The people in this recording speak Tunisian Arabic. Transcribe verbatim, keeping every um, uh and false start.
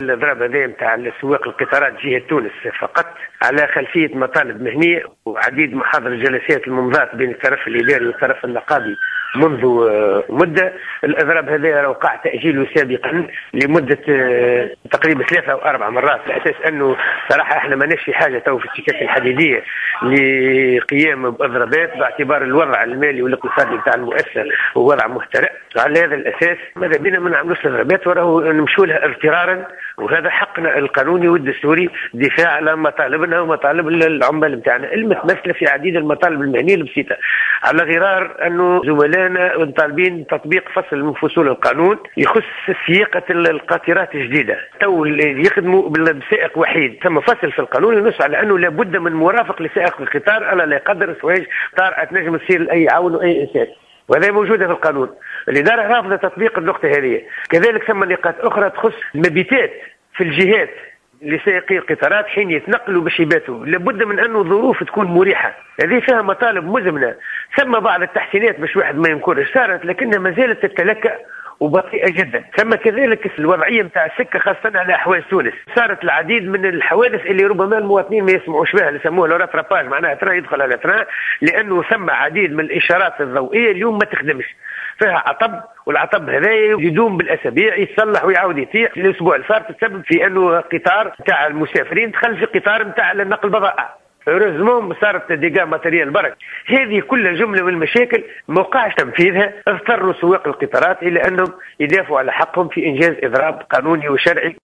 الاضراب هذا نتاع سواق القطارات جهة تونس فقط على خلفية مطالب مهنية وعديد محاضر الجلسات الممضاه بين الطرف الاداري والطرف النقابي منذ آه، مده. الاضراب هذا وقع تاجيله سابقا لمدة آه، تقريبا ثلاثة او اربع مرات، على اساس انه صراحة احنا ماناش في حاجة تو في السكك الحديدية لقيام باضرابات، باعتبار الوضع المالي والاقتصادي بتاع المؤسسة هو وضع مهترئ. على هذا الاساس ماذا بينا ما نعملوش اضرابات وراهو نمشوا لها اضطرارا، وهذا حقنا القانوني والدستوري، دفاع على مطالبنا ومطالب العمال نتاعنا المتمثلة في عديد المطالب المهنية البسيطه، على غرار انه زملائنا طالبين تطبيق فصل من فصول القانون يخص سياقه القاطرات الجديدة تو اللي يخدموا بسائق وحيد. ثم فصل في القانون ينص على انه لابد من مرافق لسائق القطار، الا لا يقدر سواج طارئة تنجم تصير لاي عون واي انسان، وهذا موجودة في القانون. الإدارة رافضة تطبيق النقطة هذه. كذلك ثم نقاط أخرى تخص المبيتات في الجهات لسائقي القطارات حين يتنقلوا باش يباتوا، لابد من أنه الظروف تكون مريحة. هذه فيها مطالب مزمنة. ثم بعض التحسينات باش واحد ما ينكرش صارت، لكنها ما زالت تتلكأ وبطيئة جدا. ثم كذلك الوضعية نتاع السكة خاصة على أحواز تونس، صارت العديد من الحوادث اللي ربما المواطنين ما يسمعوش بها، اللي يسموها le rattrapage، معناها train يدخل على train، لأنه ثم عديد من الإشارات الضوئية اليوم ما تخدمش، فيها عطب، والعطب هذا يدوم بالاسابيع يتصلح ويعاود يطيح. الاسبوع اللي صار تسبب في انه قطار نتاع المسافرين دخل في قطار نتاع نقل البضائع، heureusement صارت dégâts matériels برك. هذه كل جملة من المشاكل ما وقعش تنفيذها، اضطروا سواق القطارات الى انهم يدافعوا على حقهم في انجاز اضراب قانوني وشرعي.